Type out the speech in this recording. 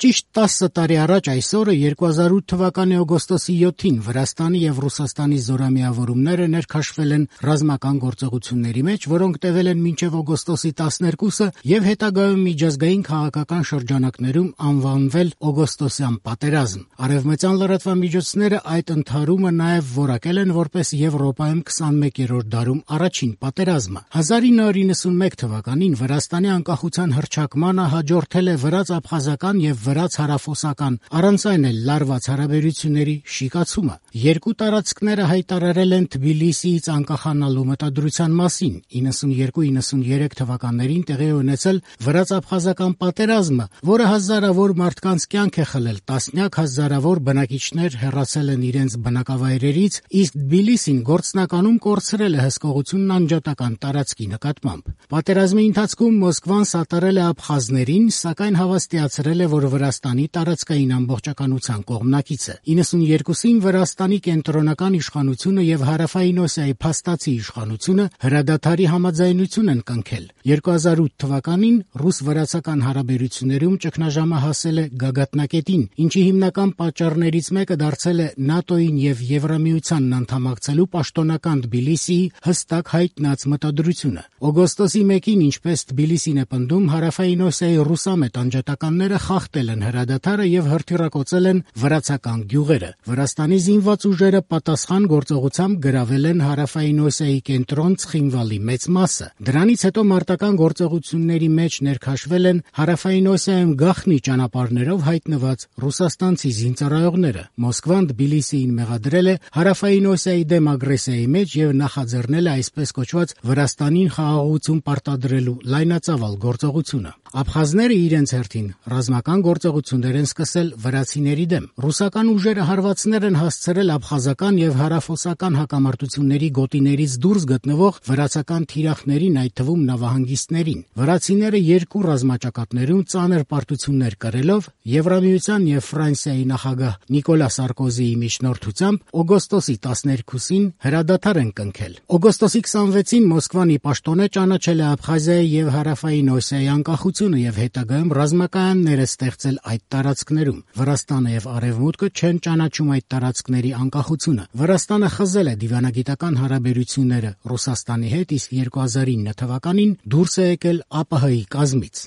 Ճիշտ 10 տարի առաջ այս օրը 2008 թվականի օգոստոսի 7-ին Վրաստանի եւ Ռուսաստանի զորամիավորումները ներքաշվել են ռազմական գործողությունների մեջ, որոնք տևել են մինչեւ օգոստոսի 12-ը եւ հետագայում միջազգային քաղաքական շրջանակներում անվանվել օգոստոսյան պատերազմ։ Արևմտյան լրատվամիջոցները այդ ընդհարումը նաեւ որակել են որպես Եվրոպայում 21-րդ դարում առաջին պատերազմը։ 1991 թվականին Վրաստանի անկախության հռչակմանը հաջորդել է վրաց-աբխազական եւ վրաց-հարավոսական, առանց այն էլ լարված հարաբերությունների շիկացումը։ Երկու տարածքները հայտարարել են Թբիլիսիից անկախանալու մտադրության մասին։ 92-93 թվականներին տեղի ունեցել վրաց-աբխազական պատերազմը, որը հազարավոր մարդկանց կյանք է խլել, տասնյակ հազարավոր բնակիչներ հեռացել են իրենց բնակավայրերից, իսկ Թբիլիսին գործնականում կորցրել է հսկողությունն անջատական տարածքի նկատմամբ։ Պատերազմի ընթացքում Մոսկվան սատարել է աբխազներին, սակայն հավաստիացրել է, որ Վրաստանի տարածքային ամբողջականության կողմնակից է։ 92-ին Վրաստանի կենտրոնական իշխանությունը եւ Հարավային Օսիայի փաստացի իշխանությունը հրադադարի համաձայնություն են կնքել։ 2008 թվականին ռուս-վրացական հարաբերություններում ճգնաժամը հասել է գագաթնակետին, ինչի հիմնական պատճառներից մեկը դարձել է ՆԱՏՕ-ին եւ Եվրամիությանն անդամակցելու պաշտոնական Թբիլիսիի հստակ հայտնած մտադրությունը։ Օգոստոսի 1-ին, ինչպես Թբիլիսին է պնդում, Հարավային Օսիայի ռուսամետ անջատականները խախտել են հրադադարը եւ հրթիռակոծել են վրացական գյուղերը։ Վրաստանի զինված ուժերը պատասխան գործողությամբ գրավել են Հարավային Օսիայի կենտրոն Ցխինվալի մեծ մասը։ Դրանից հետո մարտական գործողությունների մեջ ներքաշվել են Հարավային Օսիայում գաղտնի ճանապարհներով հայտնված ռուսաստանցի զինծառայողները։ Մոսկվան Թբիլիսիին մեղադրել է Հարավային Օսիայի դեմ ագրեսիայի մեջ եւ նախաձեռնել է այսպես կոչված Վրաստանին խաղաղություն պարտադրելու լայնածավալ գործողությունը։ Աբխազները իրենց հերթին ռազմական գործողություններ են սկսել վրացիների դեմ։ Ռուսական ուժերը հարվածներ են հասցրել աբխազական եւ հարավոսական հակամարտությունների գոտիներից դուրս գտնվող վրացական թիրախներին, այդ թվում նավահանգիստներին։ Վրացիները երկու ռազմաճակատներում ծանր պարտություններ կրելով Եվրամիության եւ Ֆրանսիայի նախագահ Նիկոլա Սարկոզիի միջնորդությամբ օգոստոսի 12-ին հրադադար են կնքել։ Օգոստոսի 26-ին Մոսկվան ի պաշտոնե ճանաչել է Աբխազիայի եւ Հարավային Օսիայի անկախությունը եւ հետագայում ռազմակայաններ է ստեղծել այդ տարածքներում։ Վրաստանը եւ Արևմուտքը չեն ճանաչում այդ տարածքների անկախությունը։ Վրաստանը խզել է դիվանագիտական հարաբերությունները Ռուսաստանի հետ, իսկ 2009 թվականին դուրս է եկել ԱՊՀ-ի կազմից։